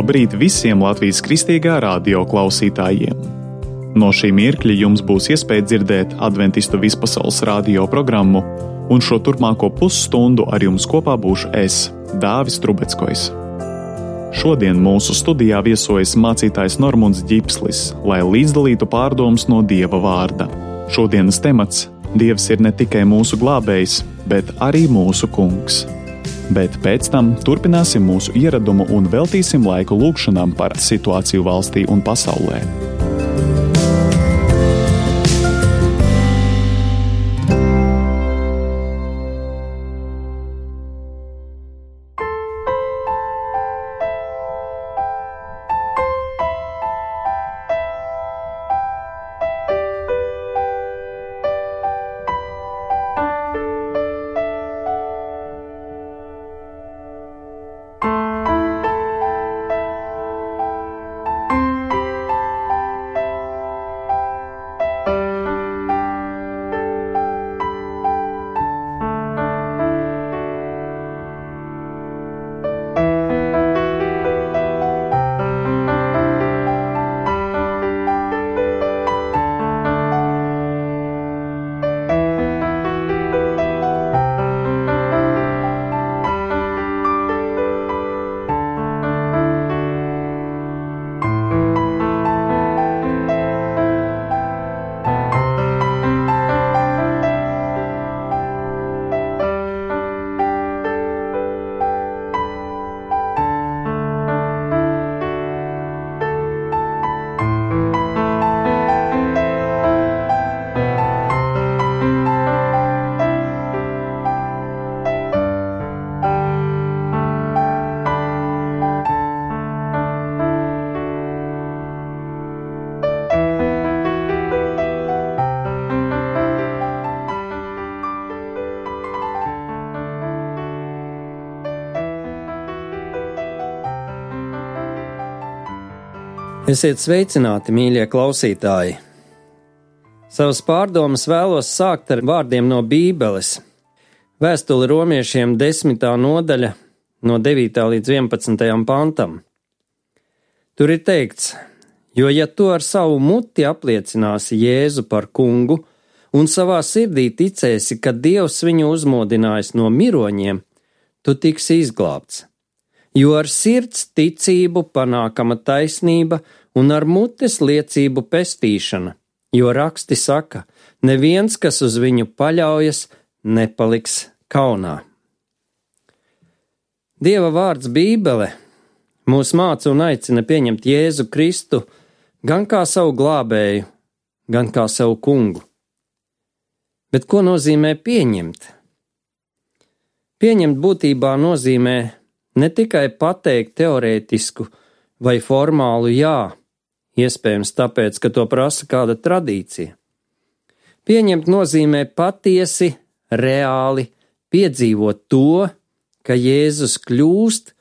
Labrīt visiem Latvijas Kristīgā radio klausītājiem! No šī mirkļa jums būs iespēja dzirdēt Adventistu vispasaules radio programmu, un šo turpmāko pusstundu ar jums kopā būšu es, Dāvis Trubeckojs. Šodien mūsu studijā viesojas mācītājs Normunds Ģipslis, lai līdzdalītu pārdomas no Dieva vārda. Šodienas temats – Dievs ir ne tikai mūsu glābējs, bet arī mūsu kungs. Bet pēc tam turpināsim mūsu ieradumu un veltīsim laiku lūgšanām par situāciju valstī un pasaulē. Esiet sveicināti, mīļie klausītāji! Savas pārdomas vēlos sākt ar vārdiem no Bībeles. Vēstule romiešiem 10. nodaļa, no 9. līdz 11. pantam. Tur ir teikts, jo ja tu ar savu muti apliecināsi Jēzu par kungu un savā sirdī ticēsi, ka Dievs viņu uzmodinājis no miroņiem, tu tiksi izglābts. Jo ar sirds ticību panākama taisnība un ar mutes liecību pestīšana, jo raksti saka, neviens, kas uz viņu paļaujas, nepaliks kaunā. Dieva vārds Bībele mūs māca un aicina pieņemt Jēzu Kristu gan kā savu glābēju, gan kā savu kungu. Bet ko nozīmē pieņemt? Pieņemt būtībā nozīmē ne tikai pateikt teorētisku vai formālu jā, iespējams tāpēc, ka to prasa kāda tradīcija. Pieņemt nozīmē patiesi, reāli piedzīvot to, ka Jēzus kļūst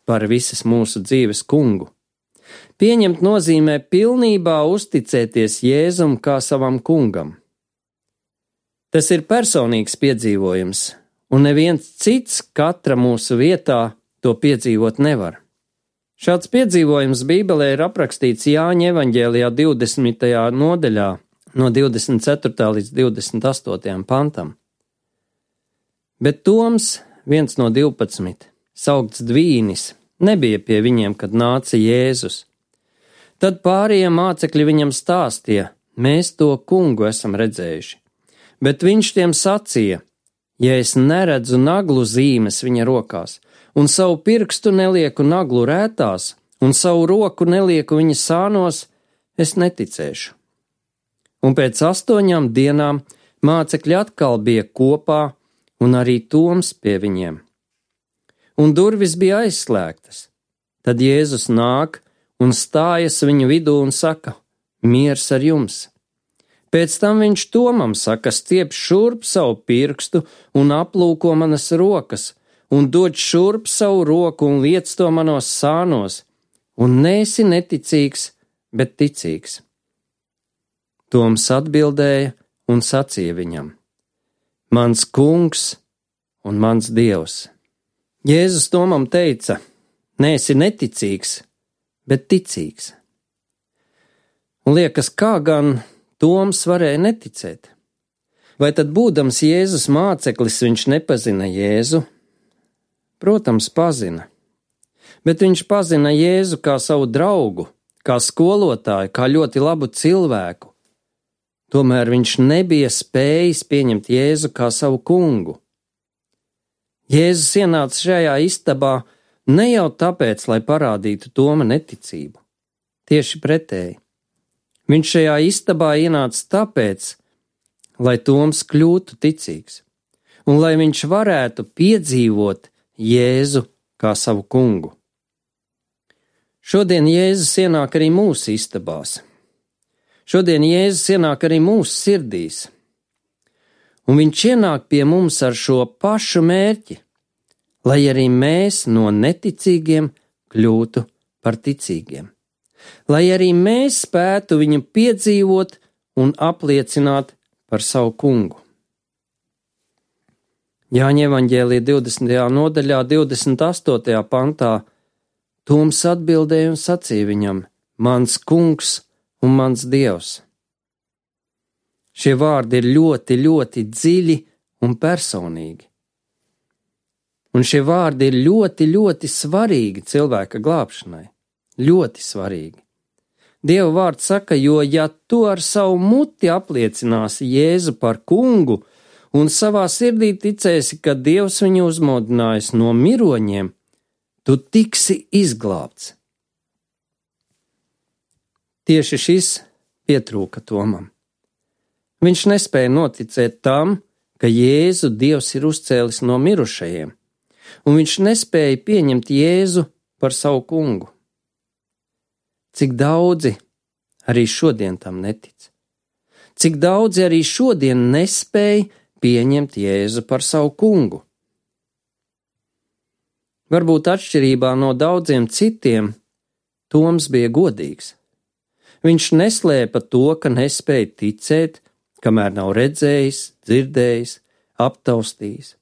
par visas mūsu dzīves kungu. Pieņemt nozīmē pilnībā uzticēties Jēzum kā savam kungam. Tas ir personīgs piedzīvojums, un neviens cits katra mūsu vietā to piedzīvot nevar. Šāds piedzīvojums Bībelē ir aprakstīts Jāņa evaņģēlijā 20. nodaļā, no 24. līdz 28. pantam. Bet Toms, viens no 12, saukts Dvīnis, nebija pie viņiem, kad nāca Jēzus. Tad pārējie mācekļi viņam stāstīja, mēs to kungu esam redzējuši. Bet viņš tiem sacīja, ja es neredzu naglu zīmes viņa rokās, un savu pirkstu nelieku naglu rētās, un savu roku nelieku viņa sānos, es neticēšu. Un pēc 8 dienām mācekļi atkal bija kopā, un arī Toms pie viņiem. Un durvis bija aizslēgtas. Tad Jēzus nāk un stājas viņu vidū un saka, miers ar jums. Pēc tam viņš Tomam saka, stiep šurp savu pirkstu un aplūko manas rokas, un dod šurp savu roku un liec to manos sānos, un neesi neticīgs, bet ticīgs. Toms atbildēja un sacīja viņam, mans kungs un mans Dievs. Jēzus Tomam teica, neesi neticīgs, bet ticīgs. Un liekas, kā gan Toms varēja neticēt? Vai tad, būdams Jēzus māceklis, viņš nepazina Jēzu? Protams, pazina. Bet viņš pazina Jēzu kā savu draugu, kā skolotāju, kā ļoti labu cilvēku. Tomēr viņš nebija spējis pieņemt Jēzu kā savu kungu. Jēzus ienāca šajā istabā ne jau tāpēc, lai parādītu Toma neticību. Tieši pretēji. Viņš šajā istabā ienāca tāpēc, lai Toms kļūtu ticīgs, un lai viņš varētu piedzīvot Jēzu kā savu kungu. Šodien Jēzus ienāk arī mūsu istabās. Šodien Jēzus ienāk arī mūsu sirdīs. Un viņš ienāk pie mums ar šo pašu mērķi, lai arī mēs no neticīgiem kļūtu par ticīgiem. Lai arī mēs spētu viņu piedzīvot un apliecināt par savu kungu. Jāņa evaņģēlija 20. nodaļā, 28. pantā, Toms atbildēja un sacīja viņam: mans kungs un mans dievs. Šie vārdi ir ļoti, ļoti dziļi un personīgi. Un šie vārdi ir ļoti, ļoti svarīgi cilvēka glābšanai. Ļoti svarīgi. Dieva vārds saka, jo ja tu ar savu muti apliecināsi Jēzu par kungu un savā sirdī ticēsi, ka Dievs viņu uzmodinājis no miroņiem, tu tiksi izglābts. Tieši šis pietrūka Tomam. Viņš nespēja noticēt tam, ka Jēzu Dievs ir uzcēlis no mirušajiem, un viņš nespēja pieņemt Jēzu par savu kungu. Cik daudzi arī šodien tam netic? Cik daudzi arī šodien nespēja pieņemt Jēzu par savu kungu? Varbūt atšķirībā no daudziem citiem, Toms bija godīgs. Viņš neslēpa to, ka nespēja ticēt, kamēr nav redzējis, dzirdējis, aptaustījis.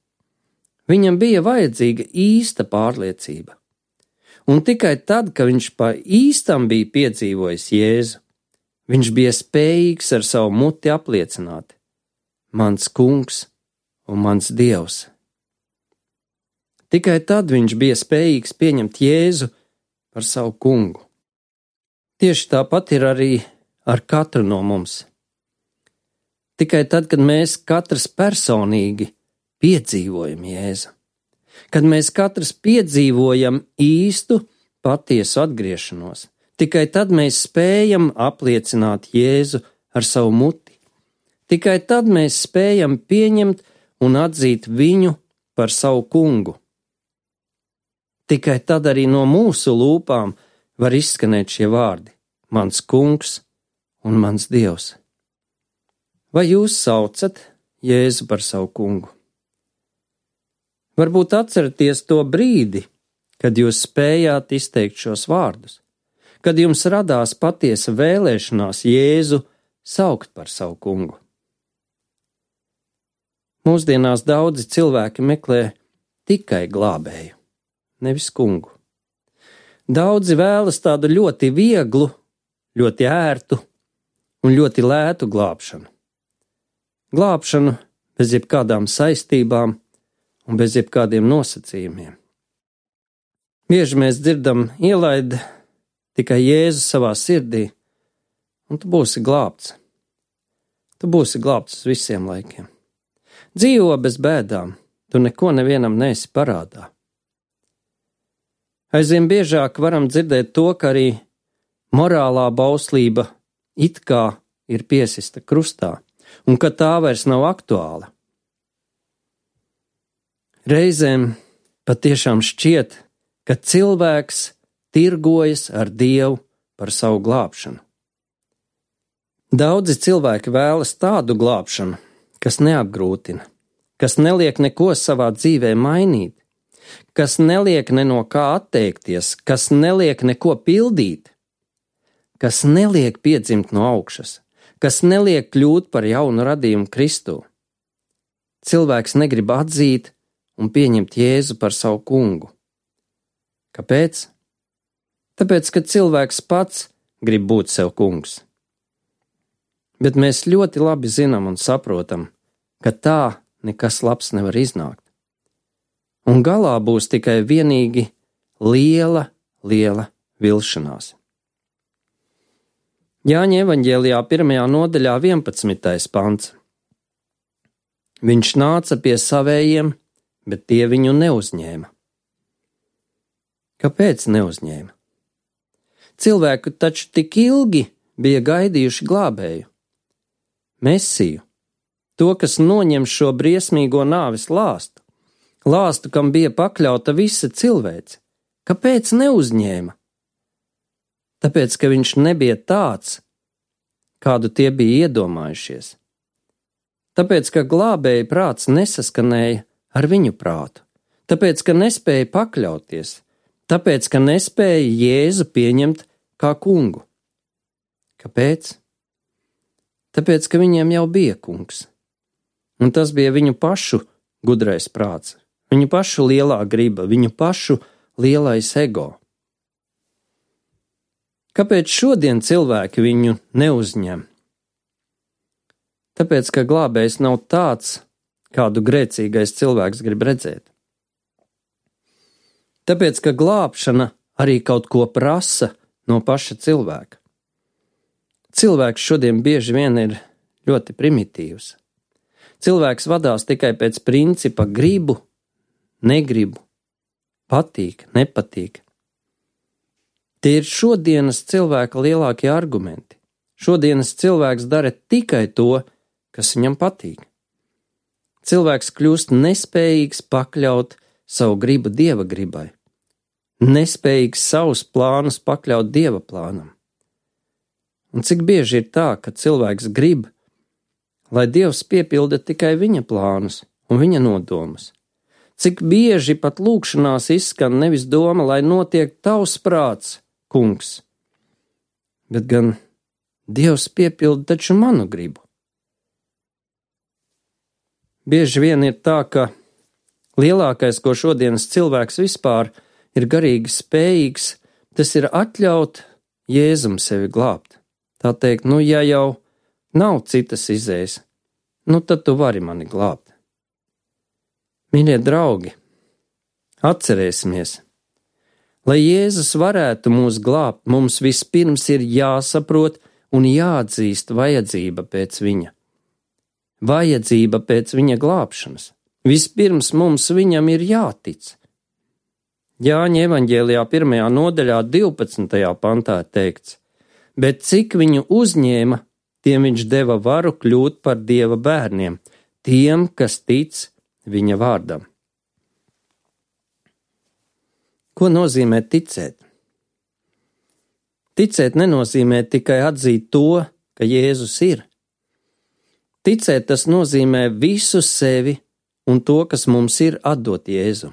Viņam bija vajadzīga īsta pārliecība. Un tikai tad, kad viņš pa īstam bija piedzīvojis Jēzu, viņš bija spējīgs ar savu muti apliecināt: mans kungs un mans dievs. Tikai tad viņš bija spējīgs pieņemt Jēzu par savu kungu. Tieši tāpat ir arī ar katru no mums. Tikai tad, kad mēs katrs personīgi piedzīvojam Jēzu, kad mēs katrs piedzīvojam īstu, patiesu atgriešanos, tikai tad mēs spējam apliecināt Jēzu ar savu muti. Tikai tad mēs spējam pieņemt un atzīt viņu par savu kungu. Tikai tad arī no mūsu lūpām var izskanēt šie vārdi: mans kungs un mans dievs. Vai jūs saucat Jēzu par savu kungu? Varbūt atceraties to brīdi, kad jūs spējāt izteikt šos vārdus, kad jums radās patiesa vēlēšanās Jēzu saukt par savu kungu. Mūsdienās daudzi cilvēki meklē tikai glābēju, nevis kungu. Daudzi vēlas tādu ļoti vieglu, ļoti ērtu un ļoti lētu glābšanu. Glābšanu bez jebkādām saistībām un bez jebkādiem nosacījumiem. Bieži mēs dzirdam: ielaid tikai Jēzu savā sirdī, un tu būsi glābts. Tu būsi glābts uz visiem laikiem. Dzīvo bez bēdām, tu neko nevienam neesi parādā. Aizvien biežāk varam dzirdēt to, ka arī morālā bauslība it kā ir piesista krustā, un ka tā vairs nav aktuāla. Reizēm patiešām šķiet, ka cilvēks tirgojas ar Dievu par savu glābšanu. Daudzi cilvēki vēlas tādu glābšanu, kas neapgrūtina, kas neliek neko savā dzīvē mainīt, kas neliek ne no kā atteikties, kas neliek neko pildīt, kas neliek piedzimt no augšas, kas neliek kļūt par jaunu radījumu Kristū. Cilvēks negrib atzīt un pieņemt Jēzu par savu kungu. Kāpēc? Tāpēc, ka cilvēks pats grib būt sev kungs. Bet mēs ļoti labi zinām un saprotam, ka tā nekas labs nevar iznākt. Un galā būs tikai vienīgi liela vilšanās. Jāņa evaņģēlijā 1. nodaļā 11. pants. Viņš nāca pie savējiem, bet tie viņu neuzņēma. Kāpēc neuzņēma? Cilvēku taču tik ilgi bija gaidījuši glābēju, Mesiju, to, kas noņem šo briesmīgo nāves lāstu, kam bija pakļauta visa cilvēce. Kāpēc neuzņēma? Tāpēc, ka viņš nebija tāds, kādu tie bija iedomājušies. Tāpēc, ka glābēja prāts nesaskanēja ar viņu prātu. Tāpēc, ka nespēja pakļauties. Tāpēc, ka nespēja Jēzu pieņemt kā kungu. Kāpēc? Tāpēc, ka viņiem jau bija kungs. Un tas bija viņu pašu gudrais prāts, viņu pašu lielā griba, viņu pašu lielais ego. Kāpēc šodien cilvēki viņu neuzņem? Tāpēc, ka glābējs nav tāds, kādu grēcīgais cilvēks grib redzēt. Tāpēc, ka glābšana arī kaut ko prasa no paša cilvēka. Cilvēks šodien bieži vien ir ļoti primitīvs. Cilvēks vadās tikai pēc principa gribu, negribu, patīk, nepatīk. Tie ir šodienas cilvēka lielākie argumenti. Šodienas cilvēks dara tikai to, kas viņam patīk. Cilvēks kļūst nespējīgs pakļaut savu gribu Dieva gribai, nespējīgs savus plānus pakļaut Dieva plānam. Un cik bieži ir tā, ka cilvēks grib, lai Dievs piepilda tikai viņa plānus un viņa nodomus. Cik bieži pat lūgšanās izskan nevis doma, lai notiek tavs prāts, kungs, bet gan Dievs piepilda taču manu gribu. Bieži vien ir tā, ka lielākais, ko šodienas cilvēks vispār ir garīgi spējīgs, tas ir atļaut Jēzum sevi glābt. Tā teikt, ja jau nav citas izējas, tad tu vari mani glābt. Mīļie draugi, atcerēsimies, lai Jēzus varētu mūs glābt, mums vispirms ir jāsaprot un jāatzīst vajadzība pēc viņa. Vajadzība pēc viņa glābšanas. Vispirms mums viņam ir jātic. Jāņa evaņģēlijā 1. nodaļā 12. pantā teikts, bet cik viņu uzņēma, tiem viņš deva varu kļūt par Dieva bērniem, tiem, kas tic viņa vārdam. Ko nozīmē ticēt? Ticēt nenozīmē tikai atzīt to, ka Jēzus ir. Ticēt tas nozīmē visu sevi un to, kas mums ir, atdot Jēzu.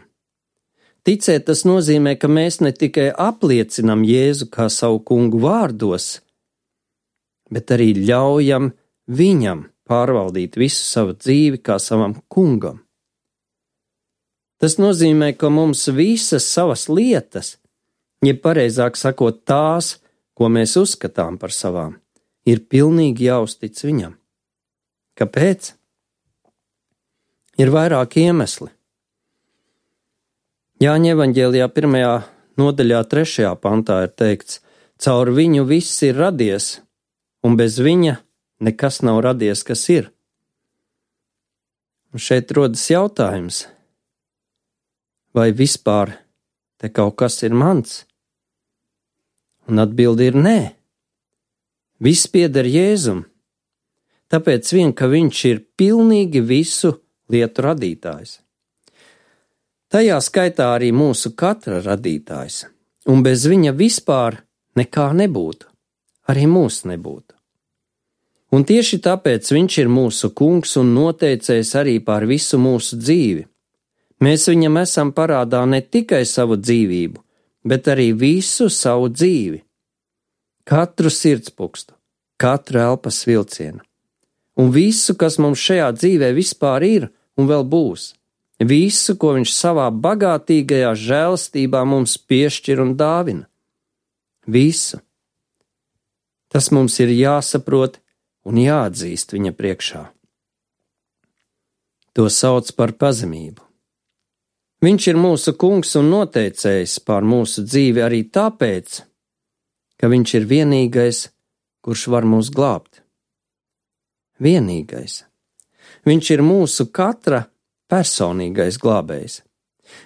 Ticēt tas nozīmē, ka mēs ne tikai apliecinam Jēzu kā savu kungu vārdos, bet arī ļaujam viņam pārvaldīt visu savu dzīvi kā savam kungam. Tas nozīmē, ka mums visas savas lietas, jeb pareizāk sakot tās, ko mēs uzskatām par savām, ir pilnīgi jāuztic viņam. Kāpēc? Ir vairāki iemesli. Jāņa evaņģēlijā 1. nodaļā 3. pantā ir teikts, caur viņu viss ir radies, un bez viņa nekas nav radies, kas ir. Un šeit rodas jautājums, vai vispār te kaut kas ir mans? Un atbilde ir nē. Viss pieder Jēzum, tāpēc vien, ka viņš ir pilnīgi visu lietu radītājs. Tajā skaitā arī mūsu katra radītājs, un bez viņa vispār nekā nebūtu, arī mūs nebūtu. Un tieši tāpēc viņš ir mūsu kungs un noteicējs arī pār visu mūsu dzīvi. Mēs viņam esam parādā ne tikai savu dzīvību, bet arī visu savu dzīvi. Katru sirdspukstu, katru elpas vilcienu. Un visu, kas mums šajā dzīvē vispār ir un vēl būs. Visu, ko viņš savā bagātīgajā žēlastībā mums piešķir un dāvina. Visu. Tas mums ir jāsaprot un jāatzīst viņa priekšā. To sauc par pazemību. Viņš ir mūsu kungs un noteicējs pār mūsu dzīvi arī tāpēc, ka viņš ir vienīgais, kurš var mūs glābt. Vienīgais. Viņš ir mūsu katra personīgais glābējs.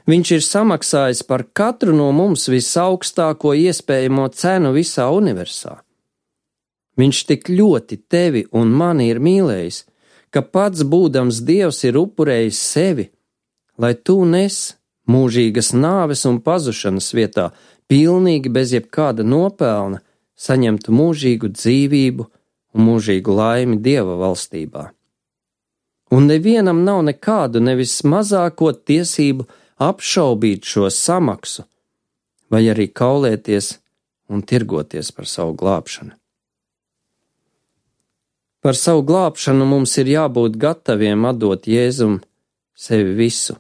Viņš ir samaksājis par katru no mums visaugstāko iespējamo cenu visā universā. Viņš tik ļoti tevi un mani ir mīlējis, ka pats būdams Dievs ir upurējis sevi, lai tu nes mūžīgas nāves un pazušanas vietā, pilnīgi bez jebkāda nopelna, saņemtu mūžīgu dzīvību un mūžīgu laimi Dieva valstībā. Un nevienam nav nekādu nevis mazāko tiesību apšaubīt šo samaksu, vai arī kaulēties un tirgoties par savu glābšanu. Par savu glābšanu mums ir jābūt gataviem atdot Jēzum sevi visu.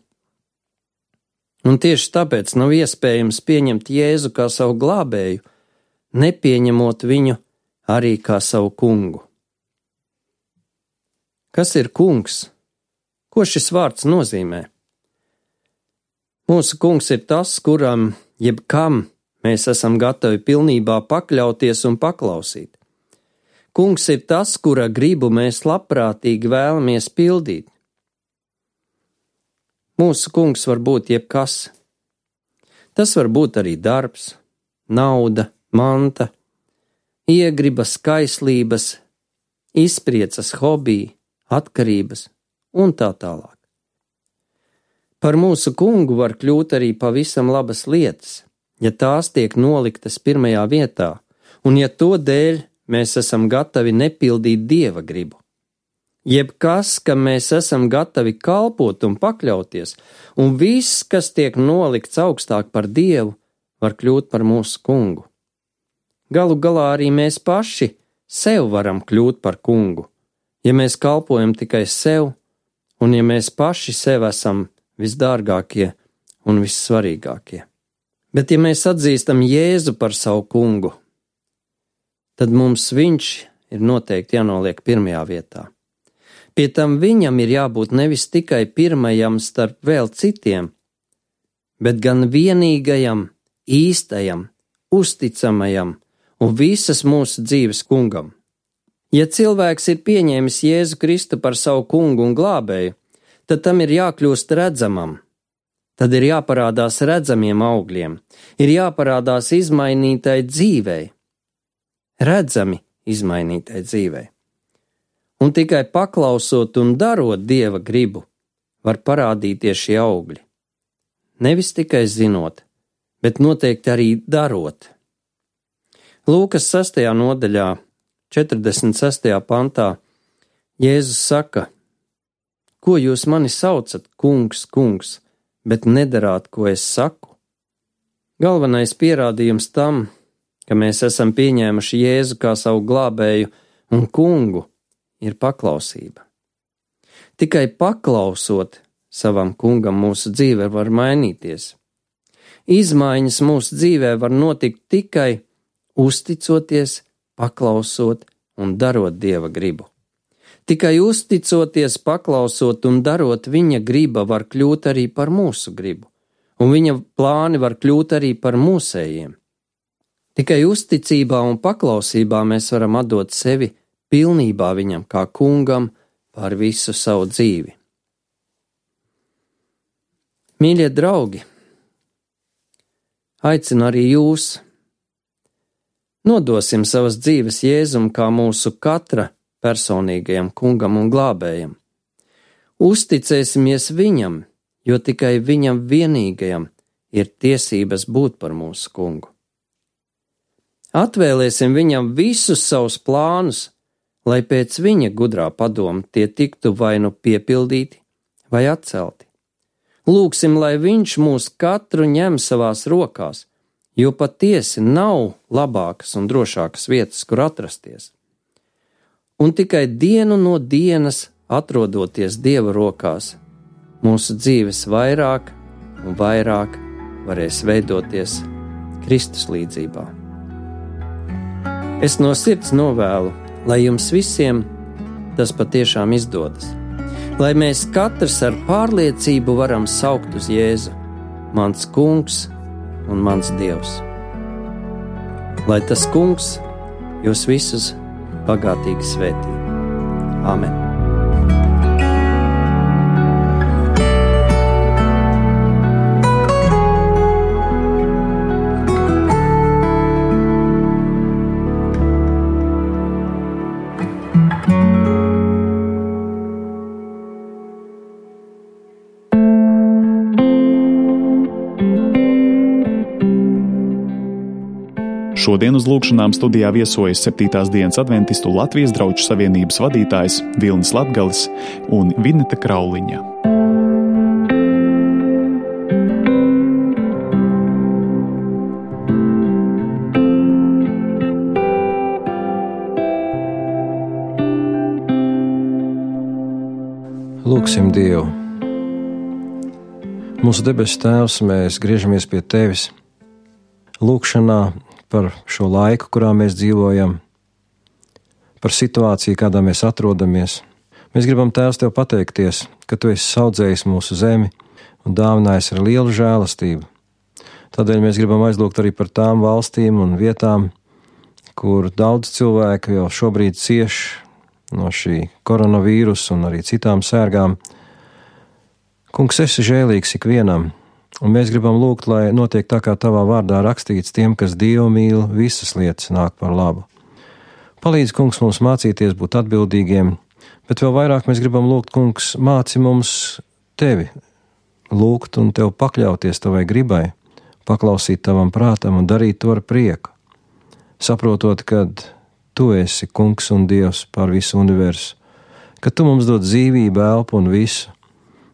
Un tieši tāpēc nav iespējams pieņemt Jēzu kā savu glābēju, nepieņemot viņu arī kā savu kungu. Kas ir kungs? Ko šis vārds nozīmē? Mūsu kungs ir tas, kuram jebkam mēs esam gatavi pilnībā pakļauties un paklausīt. Kungs ir tas, kura gribu mēs labprātīgi vēlamies pildīt. Mūsu kungs var būt jebkas. Tas var būt arī darbs, nauda, manta, iegribas, kaislības, izpriecas, hobiji, atkarības un tā tālāk. Par mūsu kungu var kļūt arī pavisam labas lietas, ja tās tiek noliktas pirmajā vietā, un ja to dēļ mēs esam gatavi nepildīt Dieva gribu. Jebkas, kam mēs esam gatavi kalpot un pakļauties, un viss, kas tiek nolikts augstāk par Dievu, var kļūt par mūsu kungu. Galu galā arī mēs paši sev varam kļūt par kungu, ja mēs kalpojam tikai sev, un ja mēs paši sev esam visdārgākie un vissvarīgākie. Bet ja mēs atzīstam Jēzu par savu kungu, tad mums viņš ir noteikti jānoliek pirmajā vietā. Pie tam viņam ir jābūt nevis tikai pirmajam starp vēl citiem, bet gan vienīgajam, īstajam, uzticamajam un visas mūsu dzīves kungam. Ja cilvēks ir pieņēmis Jēzu Kristu par savu kungu un glābēju, tad tam ir jākļūst redzamam. Tad ir jāparādās redzamiem augļiem, ir jāparādās izmainītai dzīvei. Redzami izmainītai dzīvei. Un tikai paklausot un darot Dieva gribu, var parādīties šie augļi. Nevis tikai zinot, bet noteikti arī darot. Lūkas 6. nodaļā, 46. pantā, Jēzus saka: Ko jūs mani saucat, kungs, kungs, bet nedarāt, ko es saku? Galvenais pierādījums tam, ka mēs esam pieņēmuši Jēzu kā savu glābēju un kungu, ir paklausība. Tikai paklausot savam kungam mūsu dzīve var mainīties. Izmaiņas mūsu dzīvē var notikt tikai uzticoties, paklausot un darot Dieva gribu. Tikai uzticoties, paklausot un darot viņa griba var kļūt arī par mūsu gribu, un viņa plāni var kļūt arī par mūsējiem. Tikai uzticībā un paklausībā mēs varam atdot sevi pilnībā viņam kā kungam pār visu savu dzīvi. Mīļie draugi, aicinu arī jūs. Nodosim savas dzīves Jēzum kā mūsu katra personīgajam kungam un glābējam. Uzticēsimies viņam, jo tikai viņam vienīgajam ir tiesības būt par mūsu kungu. Atvēlēsim viņam visus savus plānus, lai pēc viņa gudrā padoma tie tiktu vai nu piepildīti vai atcelti. Lūksim, lai viņš mūs katru ņem savās rokās, jo patiesi nav labākas un drošākas vietas, kur atrasties. Un tikai dienu no dienas, atrodoties Dieva rokās, mūsu dzīves vairāk un vairāk varēs veidoties Kristus līdzībā. Es no sirds novēlu, lai jums visiem tas patiešām izdodas. Lai mēs katrs ar pārliecību varam saukt uz Jēzu, mans kungs un mans Dievs. Lai tas kungs jūs visus bagātīgi svētī. Āmen. Šodien uz lūgšanām studijā viesojas 7. dienas adventistu Latvijas draugu savienības vadītājs Vilnis Latgalis un Vineta Krauliņa. Lūgsim Dievu. Mūsu debesu Tēvs, mēs griežamies pie Tevis lūgšanā par šo laiku, kurā mēs dzīvojam, par situāciju, kādā mēs atrodamies. Mēs gribam, Tēvs, Tev pateikties, ka Tu esi saudzējis mūsu zemi un dāvinājis ar lielu žēlastību. Tādēļ mēs gribam aizlūgt arī par tām valstīm un vietām, kur daudz cilvēku jau šobrīd cieš no šī koronavīrusa un arī citām sērgām. Kungs, esi žēlīgs ikvienam, un mēs gribam lūgt, lai notiek tā, kā Tavā vārdā rakstīts, tiem, kas Dievu mīl, visas lietas nāk par labu. Palīdz, Kungs, mums mācīties būt atbildīgiem, bet vēl vairāk mēs gribam lūgt, Kungs, māci mums Tevi lūgt un Tev pakļauties Tavai gribai, paklausīt Tavam prātam un darīt to ar prieku, saprotot, kad Tu esi Kungs un Dievs pār visu universu, ka Tu mums dod dzīvību, elpu un visu,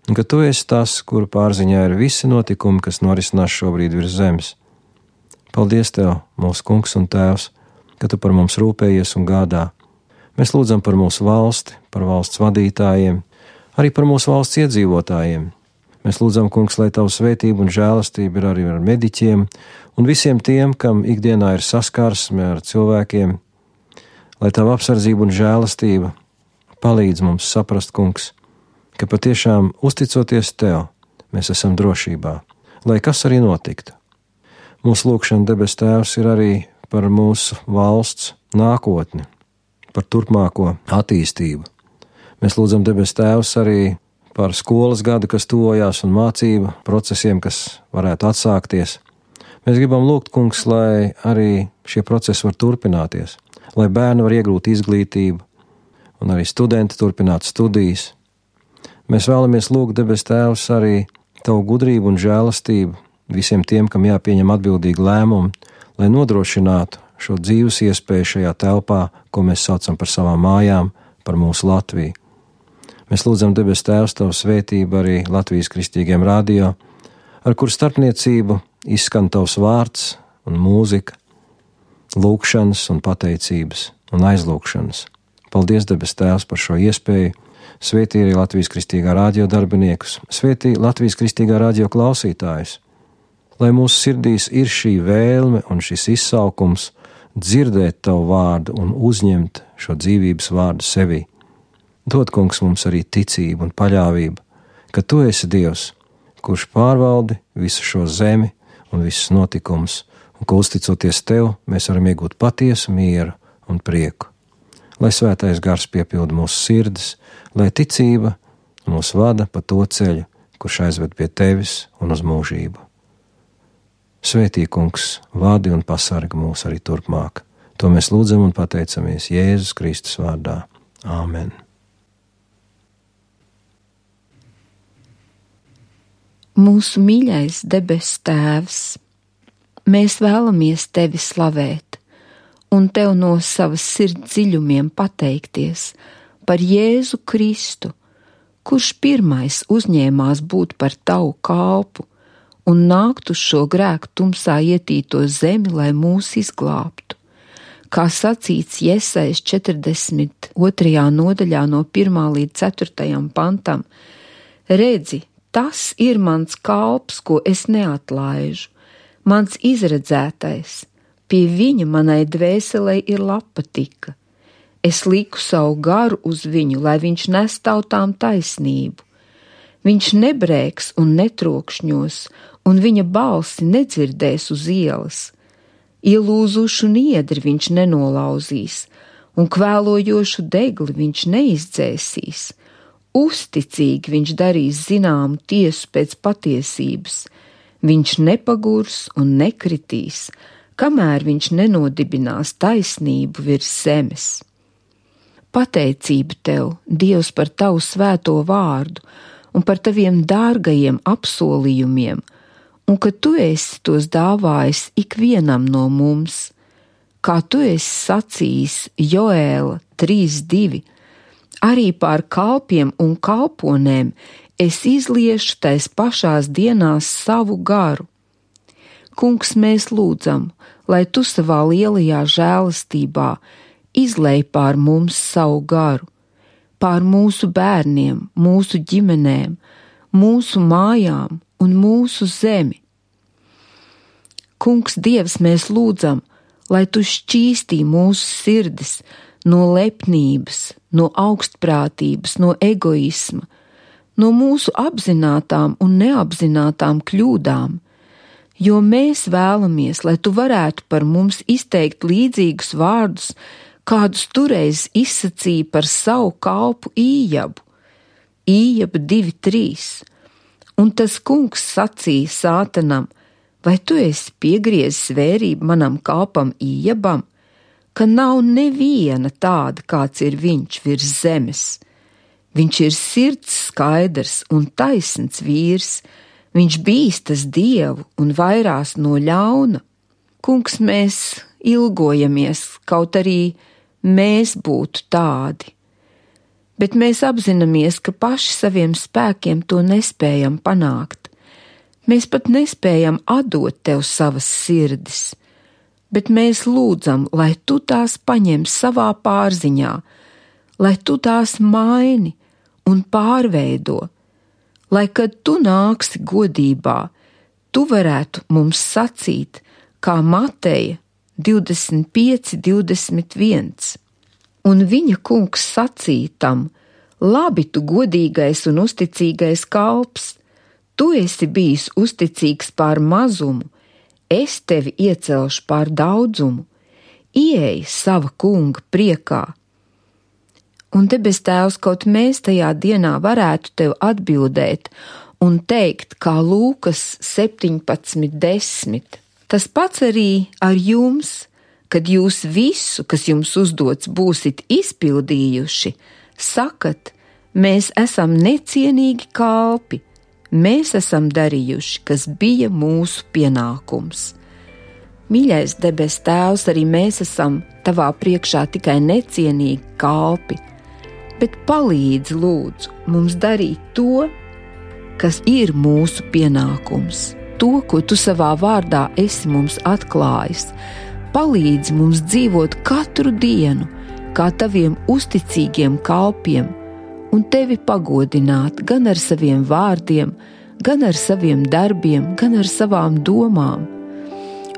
un ka Tu esi tas, kuru pārziņā ir visi notikumi, kas norisinās šobrīd virs zemes. Paldies Tev, mūsu Kungs un Tēvs, ka Tu par mums rūpējies un gādā. Mēs lūdzam par mūsu valsti, par valsts vadītājiem, arī par mūsu valsts iedzīvotājiem. Mēs lūdzam, Kungs, lai Tavu svētību un žēlastību ir arī ar mediķiem un visiem tiem, kam ikdienā ir saskarsme ar cilvēkiem, lai Tava apsardzība un žēlastība palīdz mums saprast, Kungs, ka patiešām uzticoties Tev, mēs esam drošībā, lai kas arī notiktu. Mūsu lūgšana, debes Tēvs, ir arī par mūsu valsts nākotni, par turpmāko attīstību. Mēs lūdzam, debes Tēvs, arī par skolas gadu, kas tuvojās, un mācību procesiem, kas varētu atsākties. Mēs gribam lūgt, Kungs, lai arī šie procesi var turpināties, lai bērni var iegūt izglītību, un arī studenti turpināt studijas. Mēs vēlamies lūgt, debes Tēvs, arī Tavu gudrību un žēlastību visiem tiem, kam jāpieņem atbildīgi lēmumi, lai nodrošinātu šo dzīves iespēju šajā telpā, ko mēs saucam par savām mājām, par mūsu Latviju. Mēs lūdzam, debes Tēvs, Tavu svētību arī Latvijas kristīgiem radio, ar kur starpniecību izskan Tavs vārds un mūzika, lūgšanas un pateicības un aizlūgšanas. Paldies, debes Tēvs, par šo iespēju. Svētī arī Latvijas kristīgā radio darbiniekus, svētī Latvijas kristīgā radio klausītājus, lai mūsu sirdīs ir šī vēlme un šis izsaukums dzirdēt Tavu vārdu un uzņemt šo dzīvības vārdu sevī. Dod, Kungs, mums arī ticību un paļāvību, ka Tu esi Dievs, kurš pārvaldi visu šo zemi un visus notikumus, un ka uzticoties Tev, mēs varam iegūt patiesu mieru un prieku. Lai svētais gars piepilda mūsu sirdis, lai ticība mūs vada pa to ceļu, kurš aizved pie Tevis un uz mūžību. Svētī, Kungs, vadi un pasargi mūs arī turpmāk. To mēs lūdzam un pateicamies Jēzus Kristus vārdā. Āmen. Mūsu mīļais debes Tēvs, mēs vēlamies Tevi slavēt un Tev no savas sirds dziļumiem pateikties par Jēzu Kristu, kurš pirmais uzņēmās būt par Tavu kalpu un nākt uz šo grēku tumsā ietīto zemi, lai mūs izglābtu. Kā sacīts Jesajas 42. nodaļā no 1. līdz 4. pantam, redzi, tas ir mans kalps, ko es neatlaižu, mans izredzētais, Pie viņa manai dvēselei ir labpatika. Es liku savu garu uz viņu, lai viņš nes tautām taisnību. Viņš nebrēks un netrokšņos, un viņa balsi nedzirdēs uz ielas. Ielūzušu niedri viņš nenolauzīs, un kvēlojošu degli viņš neizdzēsīs. Uzticīgi viņš darīs zināmu tiesu pēc patiesības. Viņš nepagurs un nekritīs, kamēr viņš nenodibinās taisnību virs zemes. Pateicība tev, Dievs, par tavu svēto vārdu un par taviem dārgajiem apsolījumiem, un ka tu esi tos dāvājis ikvienam no mums, kā tu esi sacījis Joēla 3:2, arī pār kalpiem un kalponēm es izliešu tais pašās dienās savu garu. Kungs, mēs lūdzam, lai tu savā lielajā žēlastībā izlej pār mums savu garu, pār mūsu bērniem, mūsu ģimenēm, mūsu mājām un mūsu zemi. Kungs, Dievs, mēs lūdzam, lai tu šķīstī mūsu sirdis no lepnības, no augstprātības, no egoisma, no mūsu apzinātām un neapzinātām kļūdām, jo mēs vēlamies, lai tu varētu par mums izteikt līdzīgus vārdus, kādus toreiz izsacīja par savu kalpu Ījabu. Ījaba 2:3. Un tas kungs sacīja Sātanam: vai tu esi piegriezis vērību manam kalpam Ījabam, ka nav neviena tāda, kāds ir viņš virs zemes? Viņš ir sirds skaidrs un taisns vīrs, viņš bīstas Dievu un vairās no ļauna. Kungs, mēs ilgojamies, kaut arī mēs būtu tādi, bet mēs apzināmies, ka paši saviem spēkiem to nespējam panākt. Mēs pat nespējam atdot tev savas sirdis, bet mēs lūdzam, lai tu tās paņem savā pārziņā, lai tu tās maini un pārveido, lai, kad tu nāksi godībā, tu varētu mums sacīt, kā Mateja 25:21. Un viņa kungs sacīja tam: labi, tu godīgais un uzticīgais kalps, tu esi bijis uzticīgs pār mazumu, es tevi iecelšu pār daudzumu, ieej sava kunga priekā. Un debes Tēvs, kaut mēs tajā dienā varētu tev atbildēt un teikt, kā Lūkas 17:10. Tas pats arī ar jums, kad jūs visu, kas jums uzdots, būsit izpildījuši, sakat: mēs esam necienīgi kalpi, mēs esam darījuši, kas bija mūsu pienākums. Mīļais debes Tēvs, arī mēs esam tavā priekšā tikai necienīgi kalpi, bet palīdzi lūdzu mums darīt to, kas ir mūsu pienākums, to, ko tu savā vārdā esi mums atklājis. Palīdzi mums dzīvot katru dienu kā taviem uzticīgiem kalpiem un tevi pagodināt gan ar saviem vārdiem, gan ar saviem darbiem, gan ar savām domām.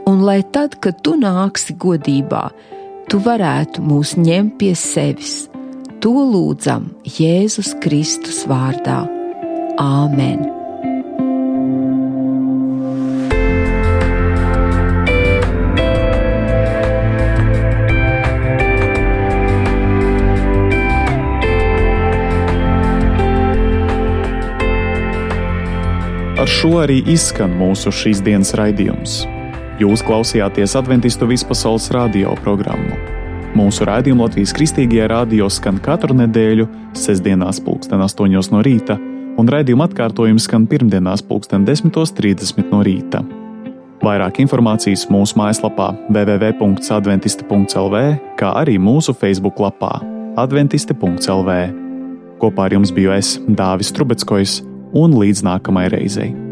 Un lai tad, kad tu nāksi godībā, tu varētu mūs ņemt pie sevis. To lūdzam Jēzus Kristus vārdā. Āmen! Ar šo arī izskan mūsu šīs dienas raidījums. Jūs klausījāties Adventistu vispasaules radio programmu. Mūsu raidījumu Latvijas Kristīgajā radio skan katru nedēļu, sestdienās 8:00 no rīta, un raidījuma atkārtojums skan pirmdienās 10:30 no rīta. Vairāk informācijas mūsu mājaslapā www.adventisti.lv, kā arī mūsu Facebook lapā adventisti.lv. Kopā ar jums biju es, Dāvis Trubeckojs, un līdz nākamajai reizei.